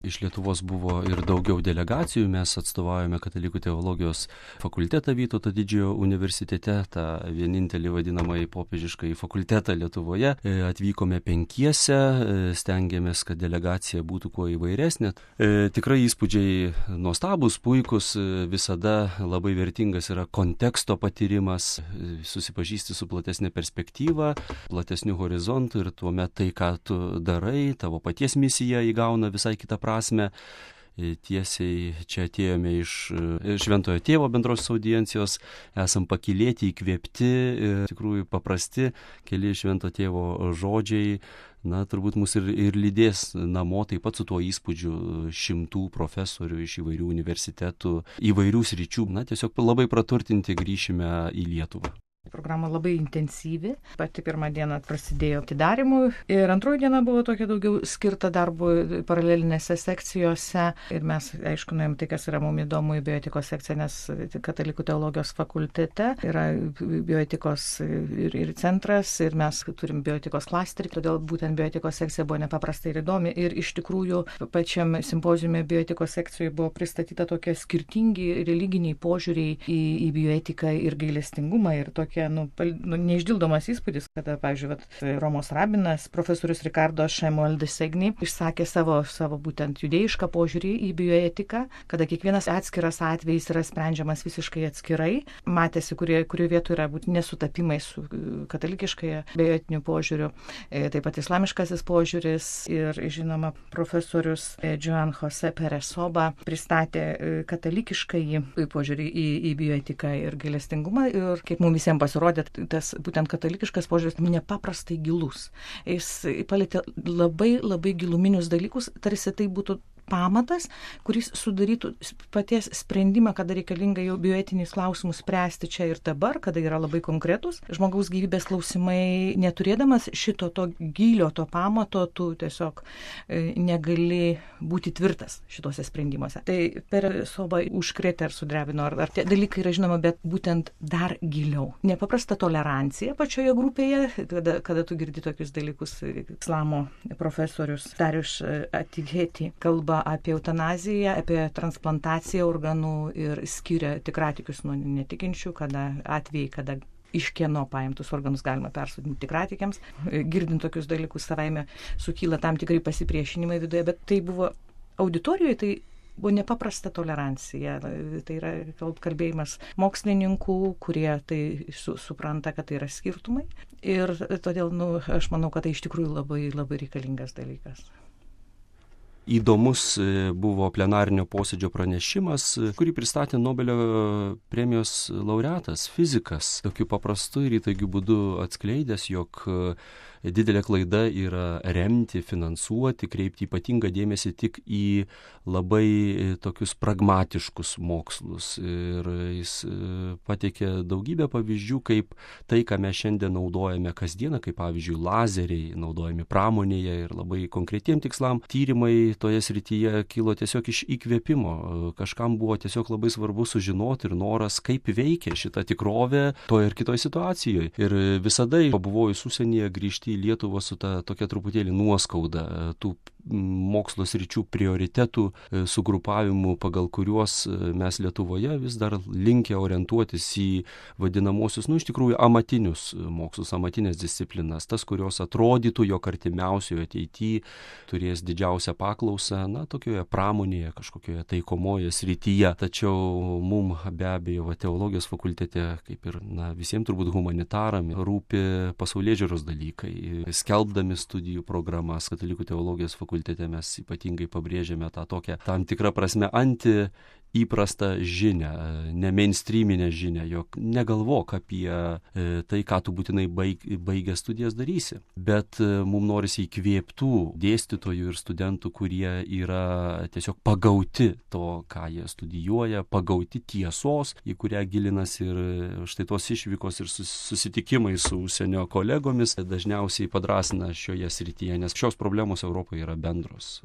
Iš Lietuvos buvo ir daugiau delegacijų, mes atstovaujame Katalikų teologijos fakultetą Vytauto Didžiojo universitete, tą vienintelį vadinamąjį popiežiškąjį fakultetą Lietuvoje. Atvykome 5, stengiamės, kad delegacija būtų kuo įvairesnė. Tikrai įspūdžiai nuostabus, puikus, visada labai vertingas yra konteksto patyrimas, susipažįsti su platesnė perspektyva, platesniu horizontu ir tuomet tai, ką tu darai, tavo paties misija įgauna visai kitą prasme. Tiesiai čia atėjome iš Šventojo Tėvo bendrosios audiencijos, esam pakylėti, įkvėpti, tikrųjų paprasti keli Švento Tėvo žodžiai, turbūt mus ir lydės namo taip pat su tuo įspūdžiu 100 profesorių iš įvairių universitetų, įvairių sričių, tiesiog labai praturtinti grįšime į Lietuvą. Programa labai intensyvi. Pati pirmą dieną prasidėjo atidarimui ir antroji diena buvo tokia daugiau skirta darbui paralelinėse sekcijose. Ir mes, aišku, nuėjom tai, kas yra mums įdomu į bioetikos sekciją, nes Katalikų teologijos fakultete yra bioetikos ir centras ir mes turim bioetikos klasterį, todėl būtent bioetikos sekcija buvo nepaprastai ir įdomi. Ir iš tikrųjų pačiam simpoziume bioetikos sekcijoje buvo pristatyta tokie skirtingi religiniai požiūriai į bioetiką ir gailestingumą ir tokie neišdildomas įspūdis, kada, pavyzdžiui, Romos rabinas, profesorius Ricardo Šemuel de Segni išsakė savo būtent judėjišką požiūrį į bioetiką, kada kiekvienas atskiras atvejis yra sprendžiamas visiškai atskirai. Matėsi, kurio vietų yra būtent nesutapimai su katalikiškai bioetiniu požiūriu, taip pat islamiškasis požiūris ir, žinoma, profesorius Joan Jose Peresoba pristatė katalikiškai požiūrį į bioetiką ir gailestingumą ir kaip mums visiems pasirodė, tas būtent katalikiškas požiūris nepaprastai gilus. Jis palietė labai, labai giluminius dalykus, tarsi tai būtų pamatas, kuris sudarytų paties sprendimą, kada reikalinga jau bioetinius klausimus spręsti čia ir dabar, kada yra labai konkretus žmogaus gyvybės klausimai, neturėdamas šito to gylio, to pamato, tu tiesiog negali būti tvirtas šituose sprendimuose. Tai Peresoba užkrėtė ar sudrebino, ar tie dalykai yra žinoma, bet būtent dar giliau. Nepaprasta tolerancija pačioje grupėje, kada tu girdi tokius dalykus. Islamo profesorius Darius Atigeti kalba apie eutanaziją, apie transplantaciją organų ir skiria tikratikius nuo netikinčių, kada iš kieno paimtus organus galima persodinti tikratikiams. Girdint tokius dalykus savaime sukyla tam tikrai pasipriešinimai viduje, bet tai buvo auditorijoje, tai buvo nepaprasta tolerancija. Tai yra kalbėjimas mokslininkų, kurie tai supranta, kad tai yra skirtumai. Ir todėl, aš manau, kad tai iš tikrųjų labai, labai reikalingas dalykas. Įdomus buvo plenarinio posėdžio pranešimas, kurį pristatė Nobelio premijos laureatas, fizikas, tokiu paprastu ir įtaigiu būdu atskleidęs, jog didelė klaida yra remti, finansuoti, kreipti ypatingą dėmesį tik į labai tokius pragmatiškus mokslus. Ir jis pateikė daugybę pavyzdžių, kaip tai, ką mes šiandien naudojame kasdieną, kaip pavyzdžiui lazeriai naudojami pramonėje ir labai konkretiem tikslam. Tyrimai toje srityje kilo tiesiog iš įkvėpimo. Kažkam buvo tiesiog labai svarbu sužinoti ir noras, kaip veikia šita tikrovė toje ir kitoje situacijoje. Ir visada pabuvojus užsienyje grįžti į Lietuvą su ta tokia truputėlį nuoskauda tų mokslo sričių prioritetų sugrupavimų, pagal kuriuos mes Lietuvoje vis dar linkę orientuotis į vadinamosius, iš tikrųjų, amatinius mokslus, amatinės disciplinas, tas, kurios atrodytų, jog artimiausioje ateityje turės didžiausią paklausą, tokioje pramonėje, kažkokioje taikomoje srityje. Tačiau mums be abejo teologijos fakultete, kaip ir visiems turbūt humanitaram, rūpi pasaulėžiūros dalykai. Skelbdami studijų programas Katalikų teologijos fakultete mes ypatingai pabrėžiame tą tokią tam tikrą prasme įprastą žinią, ne mainstreaminę žinią, jog negalvok apie tai, ką tu būtinai baigęs studijas darysi. Bet mums norisi įkvėptų dėstytojų ir studentų, kurie yra tiesiog pagauti to, ką jie studijuoja, pagauti tiesos, į kurią gilinasi ir štai tos išvykos ir susitikimai su užsienio kolegomis dažniausiai padrasina šioje srityje, nes šios problemos Europoje yra bendros.